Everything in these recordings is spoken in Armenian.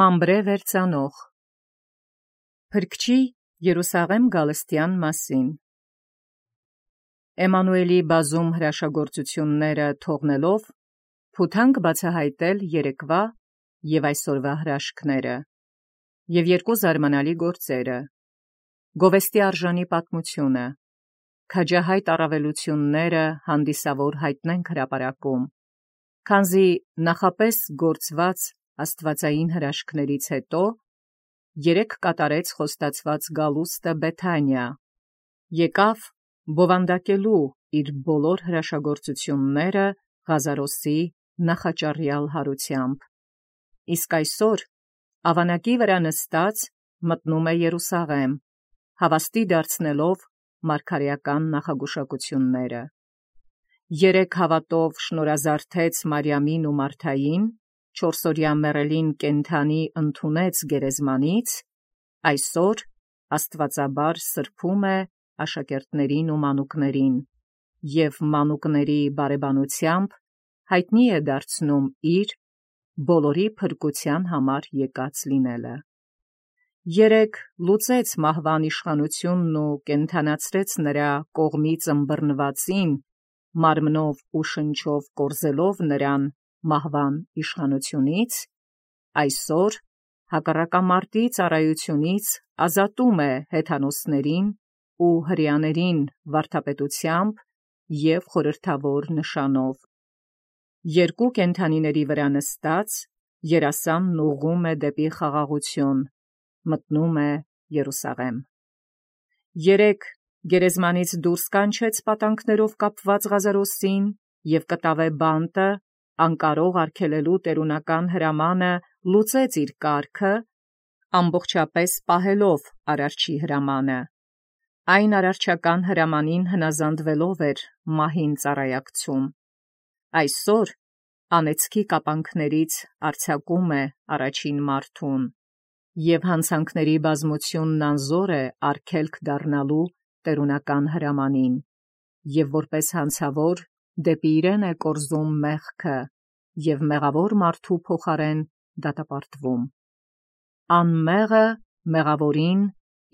Մամբրե վերցանող Փրկչի Երուսաղեմ գալստյան մասին Էմանուելի բազում հրաշագործությունները թողնելով փութանք բացահայտել երեկվա և այսօրվա հրաշքները և երկու զարմանալի գործերը գովեստի արժանի պատմությունը քաջահայտ առավելությունները հանդիսավոր հայտնենք հրապարակում քանզի նախապես գործված աստվածային հրաշքներից հետո երեկ կատարեց խոստացված գալուստը Բեթանիա եկավ բովանդակելու իր բոլոր հրաշագործությունները Ղազարոսի նախաճառյալ հարությամբ իսկ այսօր ավանակի վրա նստած մտնում է Երուսաղեմ հավաստի դարձնելով մարգարեական նախագուշակությունները երեք հավատով շնորհազարդեց Մարիամին ու Մարթային չորսօրյա մեռելին կենդանի ընդունեց գերեզմանից այսօր աստվածաբար սրբում է աշակերտներին ու մանուկներին և մանուկների բարեբանությամբ հայտնի է դարձնում իր բոլորի փրկության համար եկած լինելը երեկ լուծեց մահվան իշխանությունն ու կենդանացրեց նրա կողմից ըմբռնվածին մարմնով ու շնչով կորզելով նրան մահվան իշխանությունից այսօր հակառակամարտի ծառայությունից ազատում է հեթանոսներին ու հրեաներին վարդապետությամբ և խորհրդավոր նշանով երկու կենդանիների վրա նստած երասանն ուղղում է դեպի խաղաղություն մտնում է Երուսաղեմ երեկ գերեզմանից դուրս կանչեց պատանքներով կապված Ղազարոսին և կտավե բանտը անկարող արգելելու տերունական հրամանը լուծեց իր կարգը ամբողջապես պահելով արարչի հրամանը այն արարչական հրամանին հնազանդվելով էր մահին ծառայակցում այսօր անեծքի կապանքներից արձակում է առաջին մարդուն և հանցանքների բազմությունն անզոր է արգելք դառնալու տերունական հրամանին և որպես հանցավոր դեպի իրեն է կորզում մեղքը և մեղավոր մարդու փոխարեն դատապարտվում անմեղը մեղավորին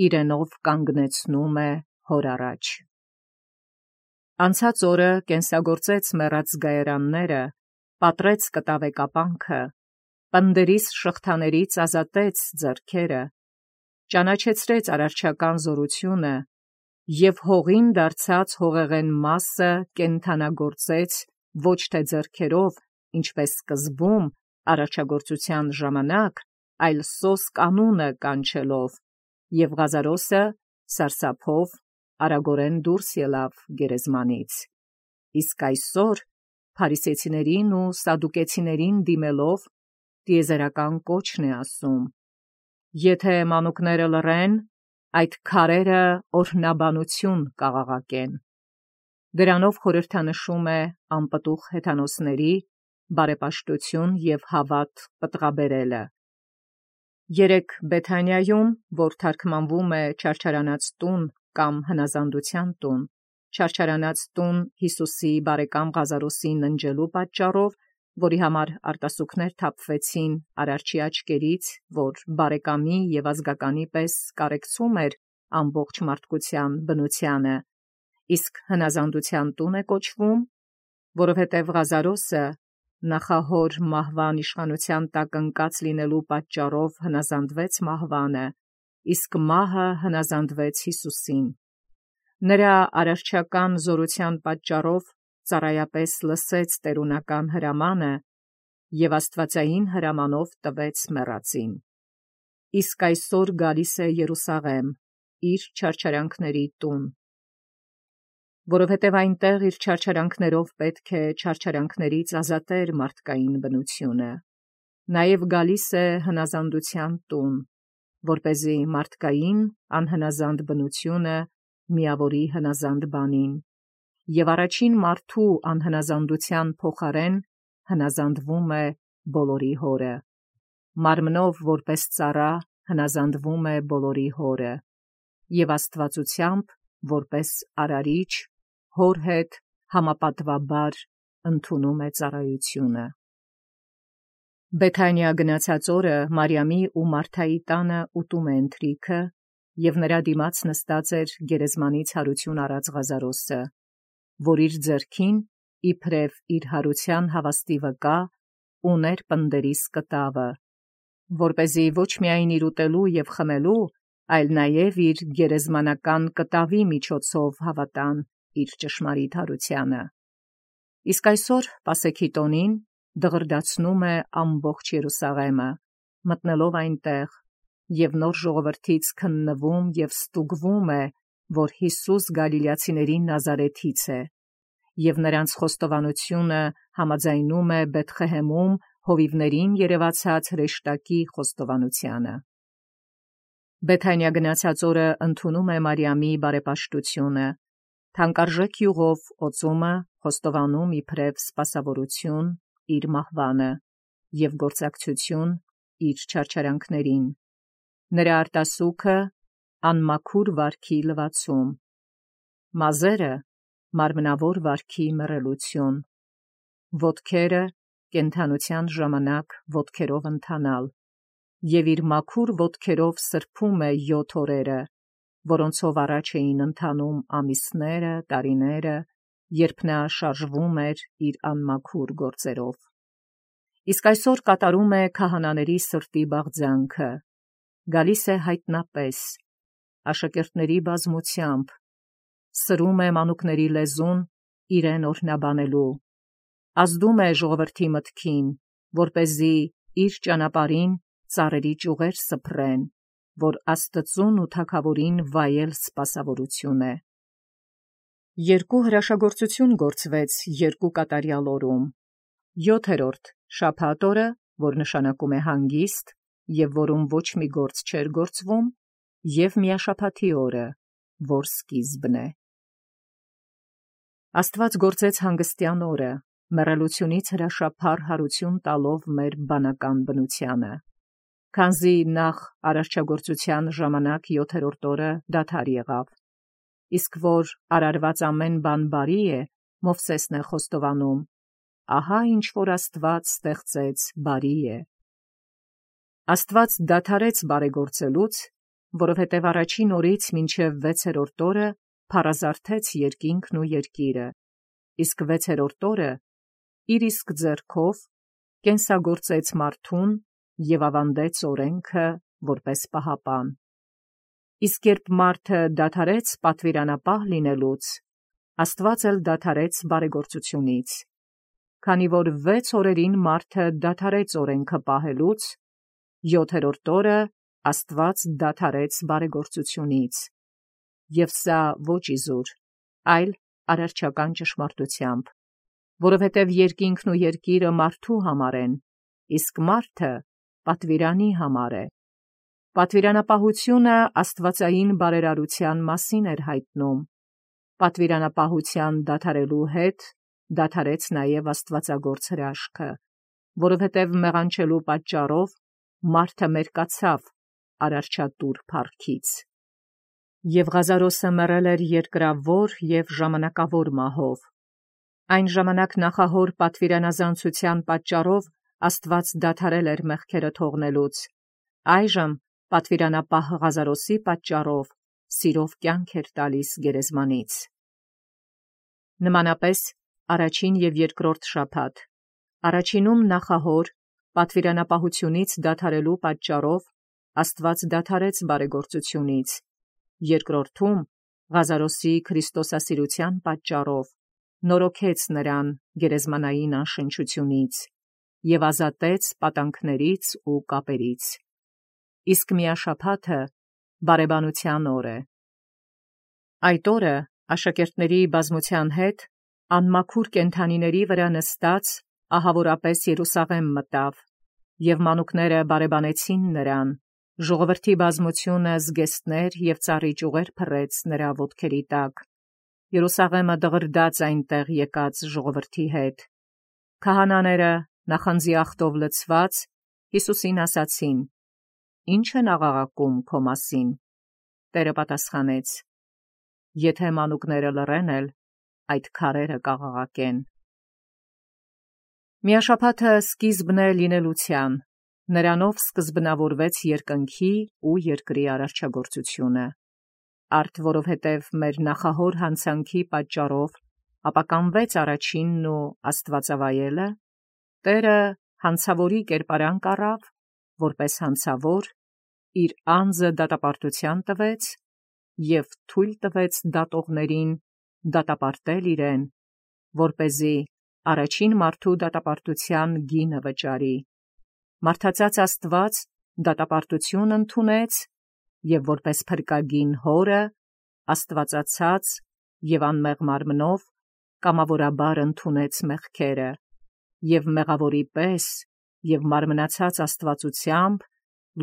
իրենով կանգնեցնում է հոր առաջ անցած օրը կենսագործեց մեռած զգայարանները պատռեց կտավե կապանքը պնդերիս շղթաներից ազատեց ձեռքերը ճանաչեցրեց արարչական զորությունը և հողին դարձած հողեղեն մասը կենդանագործեց ոչ թե ձեռքերով ինչպես սկզբում արարչագործության ժամանակ այլ սոսկ անունը կանչելով և Ղազարոսը սարսափով արագորեն դուրս ելավ գերեզմանից իսկ այսօր փարիսեցիներին ու սադուկեցիներին դիմելով տիեզերական կոչն է ասում եթե մանուկները լռեն այդ քարերը օրհնաբանություն կաղաղակեն դրանով խորհրդանշում է անպտուղ հեթանոսների բարեպաշտություն և հավատ պտղաբերելը երեկ Բեթանիայում որ թարգմանվում է չարչարանած տուն կամ հնազանդության տուն չարչարանած տուն Հիսուսի բարեկամ Ղազարոսի ննջելու պատճառով որի համար արտասուքներ թափվեցին արարչի աչքերից որ բարեկամի և ազգականի պես կարեկցում էր ամբողջ մարդկության բնությանը իսկ հնազանդության տուն է կոչվում որովհետև Ղազարոսը նախահոր մահվան իշխանության տակ ընկած լինելու պատճառով հնազանդվեց մահվանը իսկ մահը հնազանդվեց Հիսուսին նրա արարչական զորության պատճառով ծառայապես լսեց տերունական հրամանը և աստվածային հրամանով տվեց մեռածին իսկ այսօր գալիս է Երուսաղեմ իր չարչարանքների տուն որովհետև այնտեղ իր չարչարանքներով պետք է չարչարանքներից ազատեր մարդկային բնությունը նաև գալիս է հնազանդության տուն որպեսզի մարդկային անհնազանդ բնությունը միավորի հնազանդ բանին և առաջին մարդու անհնազանդության փոխարեն հնազանդվում է բոլորի հորը մարմնով որպես ծառա հնազանդվում է բոլորի հորը և աստվածությամբ որպես արարիչ հոր հետ համապատվաբար ընդունում է ծառայությունը Բեթանիա գնացած օրը Մարիամի ու Մարթայի տանը ուտում ընթրիքը, և նրա դիմաց նստած էր գերեզմանից հարություն առած Ղազարոսը, որ իր ձեռքին իբրև իր հարության հավաստի վկա ուներ պնդերիս կտավը, որպեսզի ոչ միայն իր ուտելու և խմելու, այլ նաև իր գերեզմանական կտավի միջոցով հավատան իր ճշմարիտ հարությանը։ Իսկ այսօր Պասեքի տոնին դղրդացնում է ամբողջ Երուսաղեմը, մտնելով այնտեղ, և նոր ժողովրդից քննվում և ստուգվում է, որ Հիսուս Գալիլեացիների Նազարեթից է, և նրանց խոստովանությունը համաձայնում է Բեթխեհեմում հովիվներին երևացած հրեշտակի խոստովանությանը։ Բեթանիա գնացած օրը ընդունում է Մարիամի բարեպաշտությունը, թանկարժեք յուղով օծումը խոստովանում իբրև սպասավորություն իր մահվանը և գործակցություն իր չարչարանքներին, նրա արտասուքը անմաքուր վարքի լվացում, մազերը մարմնավոր վարքի մռելություն, ոտքերը կենդանության ժամանակ ոտքերով ընթանալ, և իր մաքուր ոտքերով սրբում է 7 օրերը, որոնցով առաջ էին ընթանում ամիսները, տարիները, երբ նա շարժվում էր իր անմաքուր գործերով։ Իսկ այսօր կատարում է քահանաների սրտի բաղձանքը, գալիս է հայտնապես, աշակերտների բազմությամբ, սրում է մանուկների լեզուն իրեն օրհնաբանելու, ազդում է ժողովրդի մտքին, որպեսզի իր ճանապարհին ծառերի ճյուղեր սփռեն, որ Աստծուն ու թագավորին վայել սպասավորություն է։ Երկու հրաշագործություն գործվեց երկու կատարյալ օրում. 7-րդ շաբաթ օրը, որ նշանակում է հանգիստ, և որում ոչ մի գործ չէր գործվում, և միաշաբաթի օրը, որ սկիզբն է։ Աստված գործեց հանգստյան օրը, մեռելությունից հրաշափառ հարություն տալով մեր բանական բնությանը, քանզի նախ արարչագործության ժամանակ 7-րդ օրը դադար եղավ, իսկ որ արարված ամեն բան բարի է, Մովսեսն է խոստովանում. ահա ինչ որ Աստված ստեղծեց բարի է։ Աստված դադարեց բարեգործելուց, որովհետև առաջին օրից մինչև 6-րդ օրը փառազարթեց երկինքն ու երկիրը, իսկ 6-րդ օրը իր իսկ ձեռքով կենսագործեց մարդուն և ավանդեց օրենքը որպես պահապան։ Իսկ երբ մարդը դադարեց պատվիրանապահ լինելուց, Աստված էլ դադարեց բարեգործությունից, քանի որ 6 օրերին մարդը դադարեց օրենքը պահելուց, 7-րդ օրը Աստված դադարեց բարեգործությունից, և սա ոչ իզուր, այլ արարչական ճշմարտությամբ, որովհետև երկինքն ու երկիրը մարդու համար են, իսկ մարդը պատվիրանի համար է։ Պատվիրանապահությունը աստվածային բարերարության մասին էր հայտնում, պատվիրանապահության դադարելու հետ դադարեց նաև աստվածագործ հրաշքը, որովհետև մեղանչելու պատճառով մարդը մերկացավ արարչատուր փառքից։ Եվ Ղազարոսը մեռել էր երկրավոր և ժամանակավոր մահով։ Այն ժամանակ նախահոր պատվիրանազանցության պատճառով Աստված դադարել էր մեղքերը թողնելուց, այժմ պատվիրանապահ Ղազարոսի պատճառով սիրով կյանք էր տալիս գերեզմանից։ Նմանապես առաջին և երկրորդ շաբաթ, առաջինում նախահոր պատվիրանապահությունից դադարելու պատճառով Աստված դադարեց բարեգործությունից, երկրորդում Ղազարոսի քրիստոսասիրության պատճառով նորոգեց նրան գերեզմանային անշնչությունից և ազատեց պատանքներից ու կապերից։ Իսկ միաշաբաթը բարեբանության օր է։ Այդ օրը աշակերտների բազմության հետ անմաքուր կենդանիների վրա նստած ահավորապես Երուսաղեմ մտավ, և մանուկները բարեբանեցին նրան, ժողովրդի բազմությունը զգեստներ և ծառի ճյուղեր փռեց նրա ոտքերի տակ, Երուսաղեմը դղրդաց այնտեղ եկած ժողովրդի հետ։ Քահանաները նախանձի ախտով լցված Հիսուսին ասացին. «Ի՞նչ են աղաղակում քո մասին»։ Տերը պատասխանեց. «Եթե մանուկները լռեն էլ, այդ քարերը կաղաղակեն»։ Միաշաբաթը սկիզբն է լինելության, նրանով սկզբնավորվեց երկնքի ու երկրի արարչագործությունը, արդ որովհետև մեր նախահոր հանցանքի պատճառով ապականվեց առաջինն ու աստվածավայելը, Տերը հանցավորի կերպարանք առավ, որպես հանցավոր, իր անձը դատապարտութեան տվեց և թույլ տվեց դատողներին դատապարտել իրեն, որպեսզի առաջին մարդու դատապարտութեան գինը վճարի։ Մարդածած Աստված դատապարտութիւն ընդունեց և որպես փրկագին հորը աստվածացած և անմեղ մարմնով կամավորաբար ընդունեց մեղքերը և մեղավորի պես և մարմնացած աստվածութեամբ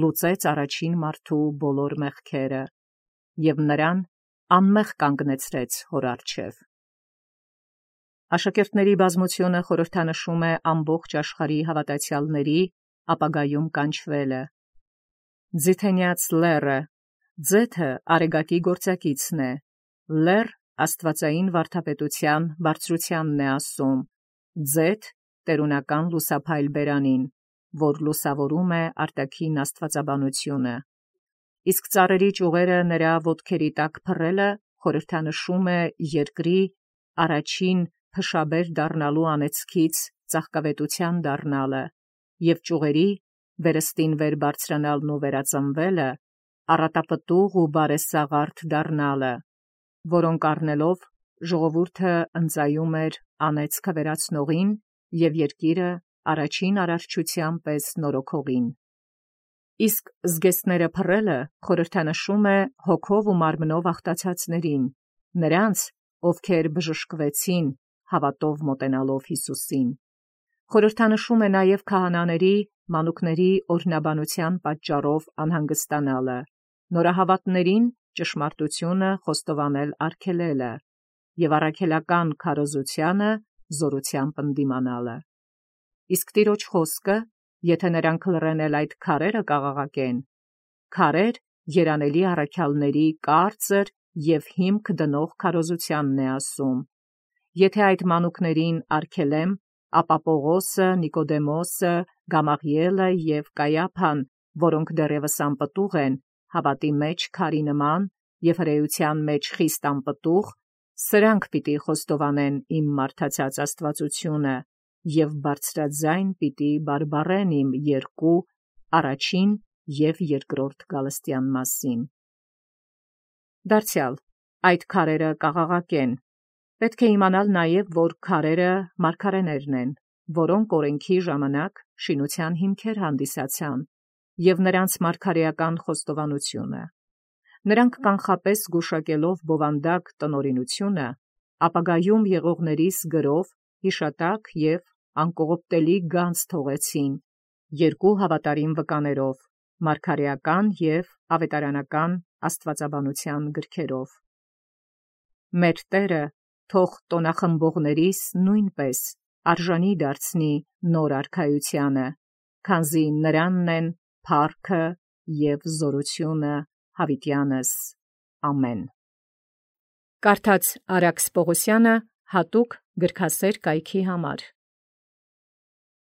լուծեց առաջին մարդու բոլոր մեղքերը և նրան անմեղ կանգնեցրեց հոր առջև։ Աշակերտների բազմությունը խորհրդանշում է ամբողջ աշխարհի հավատացյալների ապագայում կանչվելը։ Ձիթենյաց լեռը, ձեթը արեգակի գործակիցն է, լեռ աստվածային վարդապետության բարձրությանն է ասում, ձեթ տերունական լուսափայլ բերանին, որ լուսավորում է արտաքին աստվածաբանությունը։ Իսկ ծառերի ճյուղերը նրա ոտքերի տակ փռելը խորհրդանշում է երկրի առաջին փշաբեր դառնալու անեծքից ծաղկավետության դառնալը և ճյուղերի վերստին վեր բարձրանալն ու վերածնվելը առատապտուղ ու բարեսաղարդ դառնալը, որոնք առնելով ժողովուրդը ընծայում էր անեծքը վերացնողին և երկիրը առաջին արարչութեան պես նորոգողին։ Իսկ զգեստները փռելը խորհրդանշում է հոգով ու մարմնով աղտացածներին, նրանց, ովքեր բժշկվեցին հավատով մոտենալով Յիսուսին։ Խորհրդանշում է նաև քահանաների, մանուկների օրհնաբանության պատճառով անհանգստանալը, նորահավատներին ճշմարտությունը խոստովանել արգելելը և առաքելական քարոզությանը զորությամբ ընդդիմանալը։ Իսկ Տիրոջ խոսքը, եթե նրանք լռեն էլ այդ քարերը կաղաղակեն, քարեր երանելի առաքյալների կարծր և հիմք դնող քարոզությանն է ասում։ Եթե այդ մանուկներին արգելեմ, ապա Պողոսը, Նիկոդեմոսը, Գամաղիելը և Կայափան, որոնք դեռևս անպտուղ են, հավատի մեջ քարի նման և հրեության մեջ խիստ անպտուղ, սրանք պիտի խոստովանեն իմ մարդացած աստվածությունը և բարձրաձայն պիտի բարբառեն իմ երկու, առաջին և երկրորդ գալստեան մասին։ Դարձյալ, այդ քարերը կաղաղակեն։ Պետք է իմանալ նաև, որ քարերը մարգարեներն են, որոնք օրենքի ժամանակ շինության հիմքեր հանդիսացան, և նրանց մարգարեական խոստովանությունը։ Նրանք կանխապես գուշակելով բովանդակ տնօրինությունը, ապագայում եղողներիս գրով հիշատակ և անկողոպտելի գանձ թողեցին երկու հավատարիմ վկաներով, մարգարեական և ավետարանական աստվածաբանության գրքերով։ Մեր Տերը թող տոնախմբողներիս նույնպես արժանի դարձնի նոր արքայությանը, քանզի նրանն են փառքը և զորությունը յաւիտյանս։ Ամեն։ Կարդաց Արաքս Պողոսյանը հատուկ գրքասեր կայքի համար։